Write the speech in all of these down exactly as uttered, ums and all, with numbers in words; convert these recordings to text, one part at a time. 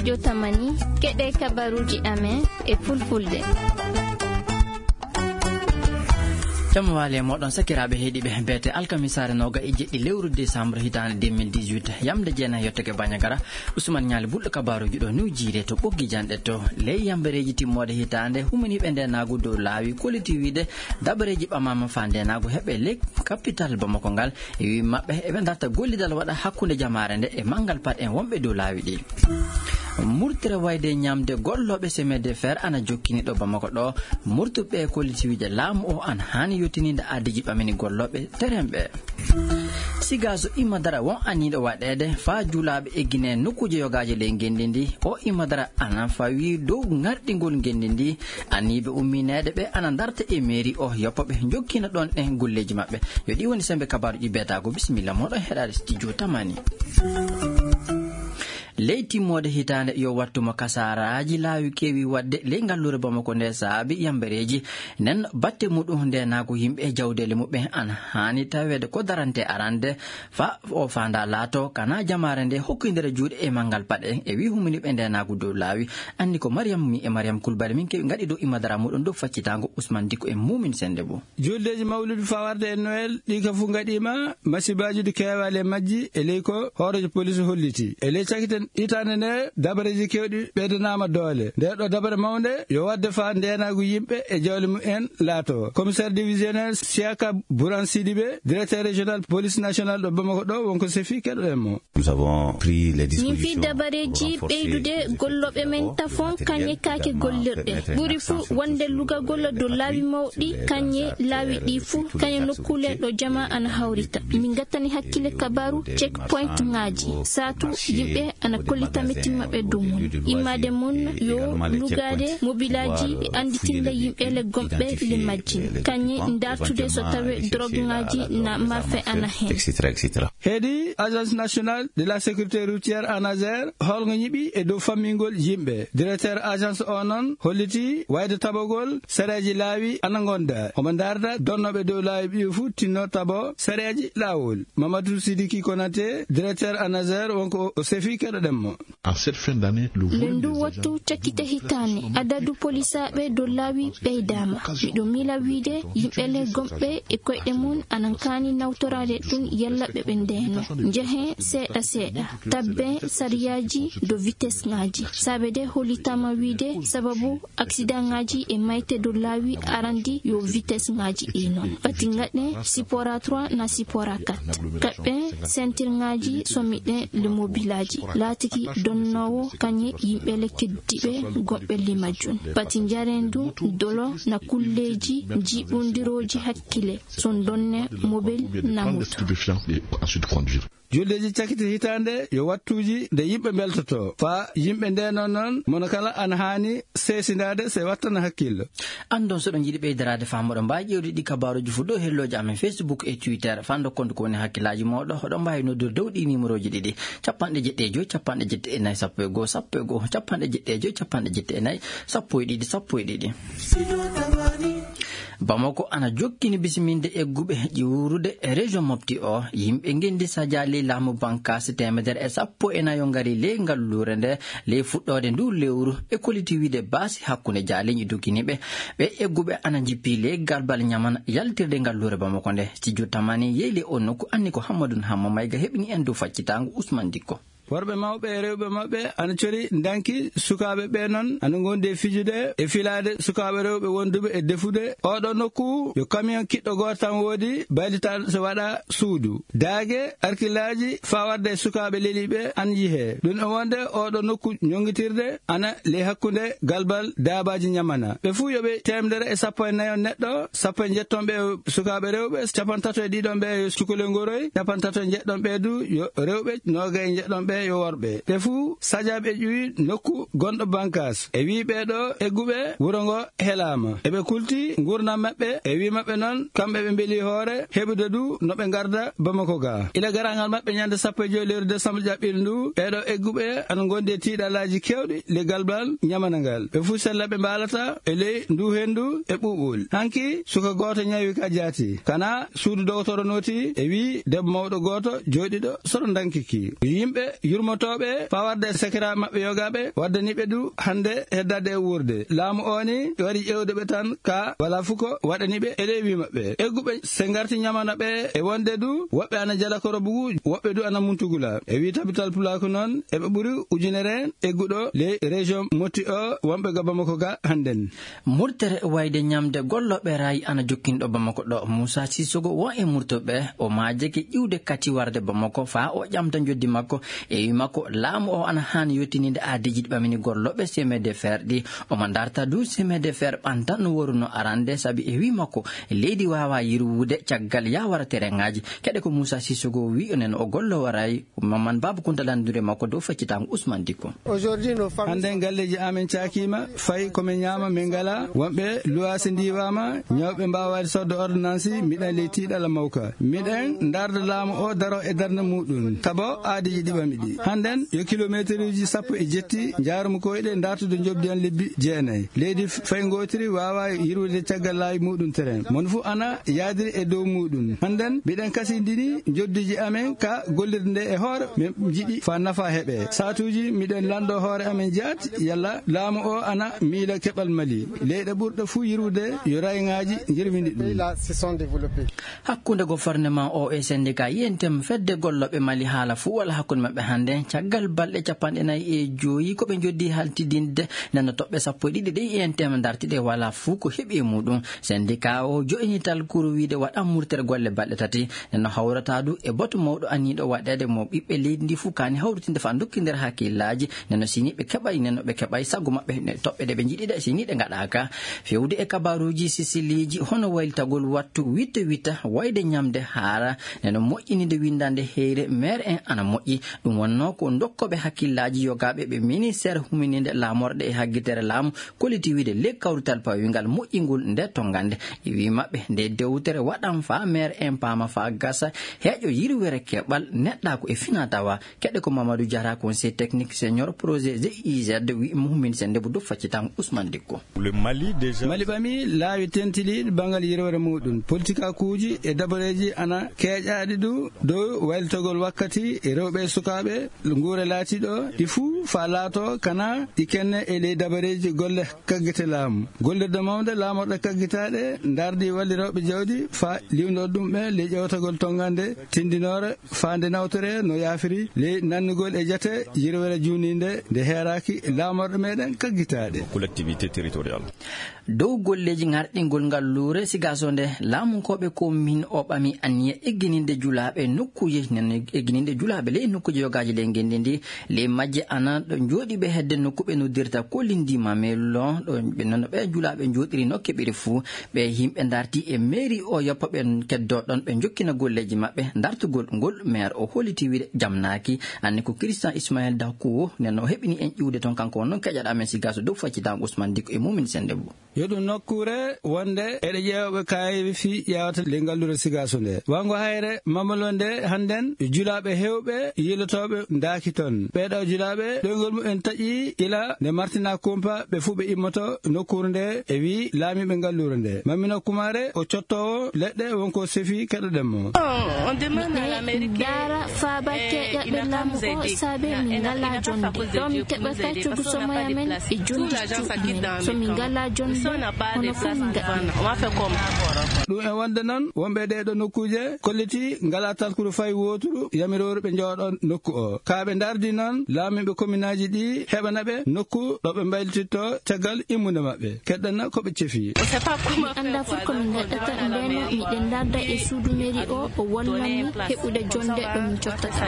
Jotamani, keɗe kabaruuji amen e fulfulde. Jamma waali e mooɗon, sakiraaɓe heɗiiɓe, beete alkamisaare nooga e jeɗɗi lewru décembre hitaande deux mille dix-huit. Yamde jeenayi yottake Bandiagara, Ousmane Ñaali Bulɗo kabaaruuji ɗo New Jiire to Ɓoggi Janɗe to. Ley yambereeji timmoode hitaande, humaniiɓe ndeenaagu dow laawi kolliti wiide dabareeji ɓamaama faa ndeenaagu heɓe ley kapital Bamako ngal. E wii maɓɓe, eɓe ndarta gollidal waɗa hakkunde jamaare nde e manngal paɗe en wonɓe dow laawi ɗi. Murtere wayde ñamde gollooɓe semaine de fer ana jokkini ɗo Bamako ɗo. Murtuɓe kollitiwiije laamu o ana haani yottininde aadiiji ɓamini gollooɓe terrain ɓe. Siga so imma dara won aniiɗo waɗeede faa juulaaɓe eggine nokkuuje yogaaje ley ngenndi ndi. O imma dara ana fawi dow ŋarɗingol ngenndi ndi. Aniiɓe ummineede ɓe ana ndarta e meeri o yoppa ɓe jokkina ɗon ɗen golleeji maɓɓe. Yo ɗi woni sembe kabaaruuji beetaago. Bisimilla mooɗon heɗaade studio Tamani. Ley timmoode hitaande yo wattu mo kasaaraaji laawi keewi waɗde ley ngalluure Bamako nde saabi yambereeji. Nden batte muɗum ndeenaagu yimɓe e jawdeele muɓɓen ana haani taweede ko darante arande fa o faanda laato kana jamaare nde hokkindere juuɗe e manngal paɗe e wii huminiiɓe ndeenaagu dow laawi. Anni ko Mariam mi e Mariam Kulbali min kewi ngaɗi dow imma dara muɗum dow faccitaango Ousmane Dikko e Muumin Sennde Bo. Juldeeji mawludu fawarde e Noël ɗi ka fof ngaɗiima masibaaji ɗi keewaali e majji e ley ko hooreejo police holliti. E ley cakiten hitaande nde dabareeji keewɗi ɓeydanaama doole. Nde ɗo dabare mawnde yo waɗde faa ndeenaagu yimɓe e jawle mumen laato. Commissaire divisionnaire Siaka Bouran Sidibé, directeur régional police nationale ɗo Bamako ɗo wonko sefi keɗoɗen mo. Nous avons pris les dispositions. Min fii dabareeji ɓeydude gollooɓe men tafon kañe kaake gollirɗe. Ɓuri fuu wonde lugagol dow laawi mawɗi kañe laawi ɗi fuu kañe nokkuule ɗo jama ana hawrita. Min ngattani hakkille kabaaru checkpoint ŋaaji. Saatu yimɓe ana kollita mettiima ɓe dow mum. Immaade mum yo lugaade mobilaaji e annditinde yimɓe le gomɓe le majji. Kañe ndartude so tawee drogue ŋaaji na mafe ana heen. Heedi Agence Nationale de la Sécurité Routière, ANASER, holngo ñiɓi e dow fammingol yimɓe. Directeur agence o noon holliti wayde tabagol sareeji laawi ana ngonda. Omo ndarda donnooɓe dow laawi ɓiyo fuu tinno tabo sareeji laawol. Mamadou Sidiki Konaté, directeur ANASER, wonko o sefi keɗoɗen mo. En cette fin d'année, le volume des agents. Ndu wattu cakkite hitaane, adadu polisaaɓe dow laawi ɓeydaama. Miɗo miila wiide yimɓe le gomɓe e koyɗe mum ana kaani nawtoraade ɗum yalla ɓe ɓe ndeeno. Njehen seeɗa seeɗa, tabbe sariyaaji dow vitesse ŋaaji. Saabe de hollitaama wiide sababu accident ŋaaji e mayte dow laawi arandi yo vitesse ŋaaji ɗi noon. Pati ngaɗe sipora trois na sipora quatre. Kaɓɓe sentir ŋaaji sommiɗe le mobilaaji. Laatiki donnoowo kañe yimɓe le keddiɓe goɓɓe le majjum. Pati njarendu dolo na kulleeji jiɓondirooji hakkile. Son donne mobil na moto. Stupéfiant et ensuite conduire. Juldeeji cakiti hitaande yo wattuuji nde yimɓe mbeltoto. Faa yimɓe ndeenon noon, mono kala ana haani seesindaade se wattana hakkillo. Anndon so ɗon njiɗi ɓeydaraade faa moɗon mbaawi ƴeewde ɗi kabaaruuji fof dow hellooji amen Facebook e Twitter. Faa ndokkon ko woni hakkillaaji mooɗon, hoɗon mbaawi noddude dow ɗi nimerooji ɗiɗi, capanɗe jeɗɗi e joy, capanɗe jeɗɗi e nayi, sappo e goo, sappo e goo, capanɗe jeɗɗi e joy, capanɗe jeɗɗi e nayi, sappo e ɗiɗi, sappo e ɗiɗi. Bamako ana jokkini bisiminde egguɓe ƴuurude e région Mopti o. Yimɓe ngenndi sajaali laamu bankaasi teemedere e sappo e nayo ngari ley ngalluure nde ley fuɗɗoode ndu lewru. Ɓe koliti wiide baasi hakkunde jaaliiñi dugginiiɓe. Ɓe egguɓe ana njippi ley galbal ñamana yaltirde ngalluure Bamako nde. Studio Tamani yeeyli o nokku anni ko Hammadun Hamma Mayga heɓini en dow faccitaango Ousmane Dikko. Worɓe mawɓe e rewɓe maɓɓe ana cori ndanki. Sukaaɓe ɓe noon ana ngondi e fijude e filaade sukaaɓe rewɓe wonduɓe e defude. Oɗo nokku yo camion kiɗɗo gooto tan woodi, baylitaaɗo so waɗa suudu. Daage, arkilaaji, faa warde e sukaaɓe leliiɓe ana yihee. Ɗum e wonde oɗo nokku ñonngitirde ana ley hakkunde galbal daabaaji ñamana. Ɓe fuu yo ɓe teemedere e sappo e nayo neɗɗo, sappo e njetton ɓe sukaaɓe rewɓe, capantato e ɗiɗon ɓe yo cukalel ngoroy, capantato e njeɗɗon ɓe du yo rewɓe, noogay e njeɗɗon ɓe yo worɓe. Ɓe fuu sajaaɓe ƴuwi nokku gonɗo bankaas. E wii ɓee ɗo egguɓe wuro ngo helaama. Eɓe kulti nguurndam maɓɓe, e wii maɓɓe noon, kamɓe ɓe mbeli hoore heɓude du no ɓe ngarda Bamako ga. Ila garaangal maɓɓe ñande sappo e joy lewru décembre ƴaɓɓiiɗo ndu, ɓee ɗo egguɓe ana ngondi e tiiɗalaaji keewɗi le galbal ñamana ngal. Ɓe fuu sella ɓe mbaalata e ley ndu henndu e ɓuuɓol. Hanki suka gooto ñawi ka jaati. Kana suudu dogotoro nooti e wii debbo mawɗo gooto jooɗiiɗo soro ndanki ki. Yimɓe yurmotooɓe faa warde e sakiraaɓe maɓɓe yogaaɓe, waddani ɓe du hannde heddaade e wuurde. Laamu oo ni wari ƴeewde ɓe tan, ka walaa fuu ko waɗani ɓe e ley wii maɓɓe. Egguɓe se ngarti ñamana ɓe e wonde du woɓɓe ana jala korobugu, woɓɓe du ana muntugula. E wii Tabital Pulaaku noon, eɓe ɓuri ujunere egguɗo ley région Moti o, wonɓe ga Bamako ga hannden. Murtere wayde ñamde gollooɓe raay ana jokkinɗo Bamako ɗo. Muusa Sisogo won e murtoɓe, o maajake ƴiwde kati warde Bamako faa o ƴamta njoddi makko. E wii makko, laamu o ana haani yottininde aadiiji ɗi ɓamini gollooɓe semaine de fer ɗi. Omo darta du semaine de fer ɓantan no woruno arande, sabi e wii makko, leydi waawaa yirwude caggal yawara tereŋaaji. Keɗe ko Muusa Sisogo wii, onen o golloowo raay. Maman Baaba Kunta lanndunde makko dow feccitaango Usman Dikko. Hannden galleeji amen caakiima, fay ko min ñaama min ngalaa. Wonɓe luwaase ndiiwaama, ñawɓe mbaawaani sodde ordonnansi, miɗen ley tiiɗalla mawka. Miɗen ndarda laamu o daro e darnde muuɗum, tabo aadiiji ɗi ɓami ɗi. Hannden yo kilomeeteruuji sappo e jetti njaarumi koyɗe ndartude njoɓdi an lebbi jeenayi. Leydi fay ngootiri waawaa yirwude caggal laawi muuɗum teren. Mon fuu ana yaadiri e dow muuɗum. Hannden miɗen kasindini njoddiiji amen ka gollirde nde e hoore, min njiɗi faa nafa heɓe. Saatuuji miɗen lanndoo hoore amen jaati, yalla laamu o ana miila keɓal Mali. Leyɗe ɓurɗe fuu yirwude yo rayŋaaji njirwini ɗum. Hakkunde gouvernement o e syndicat I N T M, fedde gollooɓe Mali, haala fuu wala hakkunde maɓɓe hannde. Caggal balɗe capanɗe nayi e joyi ko ɓe njoddi haltidinde, nden no toɓɓe sappo e ɗiɗi ɗe I N T M darti ɗe wala fuu ko heɓi e muuɗum. Syndicat o jo'ini talkuru wiide waɗan murtere golle balɗe tati. Nden no hawrata du e batu mawɗo aniiɗo waɗeede mo ɓiɓɓe leydi ndi fuu kaani hawritinde faa ndokkindira hakkillaaji. Nden no si ni ɓe keɓay, nden no ɓe keɓay sago maɓɓe, ne toɓɓe ɗe ɓe njiɗi ɗe, si ni ɗe ngaɗaaka. Fewde e kabaaruuji sisiliiji hono waylitagol wattu witta witta wayde ñamde haara, nden no moƴƴininde winndande heyre meer en ana moƴƴi. Ɗum wonnoo ko ndokkooɓe hakkillaaji yogaaɓe ɓe ministeer humininde laamorɗe e haggitere laamu kolliti wiide ley kawrital pawingal moƴƴingol nde tonngande. E wii maɓɓe, nde dewtere waɗan faa meer en paama faa gasa, heƴo yirwere keɓal neɗɗaaku e finaa tawa. Keɗe ko Mamadou Diarra, conseiller technique senior projet G I Z, wi Mouhmin Sendebou dow faccitango Ousmane Dikko. Le Mali déjà. Mali ɓami laawi tentiliiɗi banngal yirwere muuɗum. Politikakuuji e dabareeji ana keeƴaaɗi du dow waylitagol wakkati e rewɓe e sukaaɓe, nguure laatiiɗo ɗi fuu faa laato kana ɗi kenne e ley dabareeji golle kaggite laamu. Gollirde mawnde laamorɗe kaggitaaɗe ndardi walli rewɓe jawdi faa liwndo ɗum ɓe ley ƴewtagol tonngande tindinoore faa nde nawtore no yaafiri ley nannugol e jate yirwere juuninde nde heeraaki laamorɗe meɗen kaggitaaɗe. Collectivité territoriale. Dow golleeji ŋarɗingol ngal luure Sigaso nde, laamunkooɓe commune o ɓami anniya eggininde julaaɓe nokkuuje, nen eggininde julaaɓe ley nokkuuje yogaaji ley ngenndi ndi. Ley majje ana ɗo njooɗiiɓe hedde nokku ɓe noddirta Kolindima Melo, ɗo ɓe noon ɓe julaaɓe njooɗiri no keɓiri fuu. Ɓe yimɓe ndarti e mairie o yoppa ɓe keddoo ɗon ɓe njokkina golleeji maɓɓe. Ndartugol ngol maire o holliti wiide jamnaaki. Anne ko Christian Ismaël Dakuwo, nen o heɓini en ƴiwde toon, kanko wonno keƴaɗo amen Sigaso dow faccitango Ousmane Dikko e Mumin Sendebou. Yo ɗum nokkuure wonde eɗe ƴeewa ɓe kaayeefi fii ƴeewata ley ngalluure Sigaso nde. Wanngo hayre Mamalo nde hannden, julaaɓe heewɓe yilotooɓe ndaaki toon. Ɓeeɗo julaaɓe ɗoyngol mumen taƴi ila nde Martina Kumpa ɓe fuu ɓe immoto nokkuure nde e wii laamiiɓe ngalluure nde. Mamina Kumare o cottoowo leɗɗe wonko sefi keɗoɗen mo. Miɗen ndaara faaba keeƴaɓe laamu o saabe min ngalaa jonnde. Ɗo min keɓata coggu somoya men e jonnde cuuɗi men. So min ngalaa jonnde, hono fof min ngaɗi. Ɗum e wonde noon, wonɓe ɗee ɗo nokkuuje kolliti ngalaa talkuru fay wooturu yamirooru ɓe njooɗo nokku o. Kaa ɓe ndardi noon laamiiɓe kominaaji ɗi heɓana ɓe nokku ɗo ɓe mbaylititto caggal immunde maɓɓe. Keɗɗana ko ɓe cefi. Mi anndaa fof ko min ngaɗata, ndeno miɗen ndarda e suudu mairie o, o wallan min heɓude jonnde ɗo min cottata.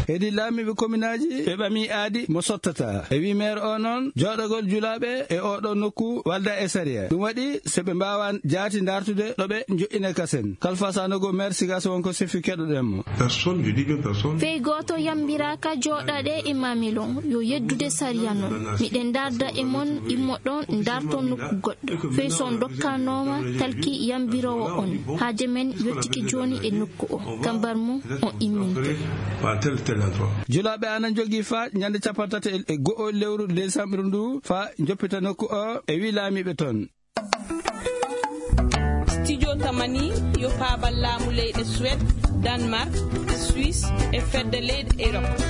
Hedi laamiiɓe kominaaji ɓe ɓami aadi mo sottata. E wii maire o noon, jooɗagol julaaɓe e oo ɗoo nokku walda e sariya. Ɗum waɗi so ɓe mbaawaa jaati ndartude ɗo ɓe njo'ina kasen. Kalfa Sanogo, maire Sigaso, wonko sefi keɗoɗen mo. Personne, je dis bien personne. Fey gooto yambiraaka jooɗaade e Mamilo, yo yeddude sariya noon. Miɗen ndarda e mon, immo ɗoon, ndarto nokku goɗɗo. Fey so on ndokkanooma talki yambiroowo on, haaje men yottike jooni e nokku o. Kambar mum o imminte. Julaaɓe ana njogii faa ñande cappanɗe tati e go'o lewru desambre ndu faa njoppita nokku o e wii laamiiɓe toon. Studio Tamani yo faabal laamu leyɗe Suède, Danemark, Suisse e fedde leyɗe Europe.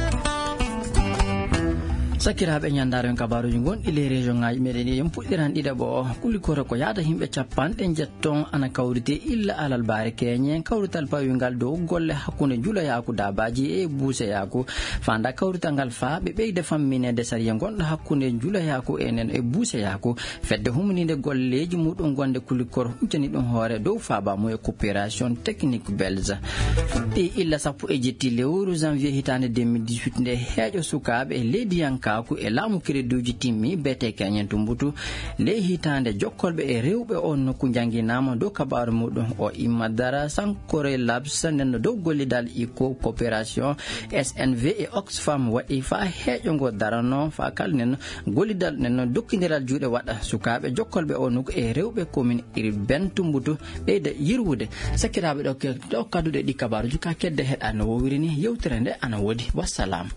Sakiraaɓe, ñanndaare on kabaaruuji ngonɗi ley région ŋaaji meɗen ɗi, en puɗɗiran ɗiɗaɓo o. Kulikoro ko yaada yimɓe capanɗe njetton ana kawrite illa alal baare keñe. Kawrital pawingal dow golle hakkunde njulayaaku daabaaji e buuseyaaku. Faanda kawrital ngal faa ɓe ɓeyda famminede sariya ngonɗo hakkunde njulayaaku enen e buuseyaaku. Fedde humninde golleeji muɗum gonde kulikoro huccani ɗum hoore dow faaba mum e coopération technique belge. Ɗi illa sappo e jetti lewru janvier hitaande deux mille dix-huit nde heeƴo sukaaɓe e leydiyankaaku e laamu kereduuji timmi B T K ñen Tumbutu ley hitaande jokkolɓe e rewɓe on nokku njannginaama dow kabaaru muɗum o imma dara Sankore Labs nen no dow gollidal iko coopération S N V e Oxfam waɗi faa heeƴo ngo darano faa kalnen gollidal nen no dokkindiral juuɗe waɗa sukaaɓe jokkolɓe o nokku e rewɓe commune urbaine Tumbutu ɓeyda yirwude. Sakiraaɓe, ɗo ke-, ɗo kadduɗe ɗi kabaaruuji ka kedde heɗa no wowiri ni yewtere nde ana woodi. Wassalam.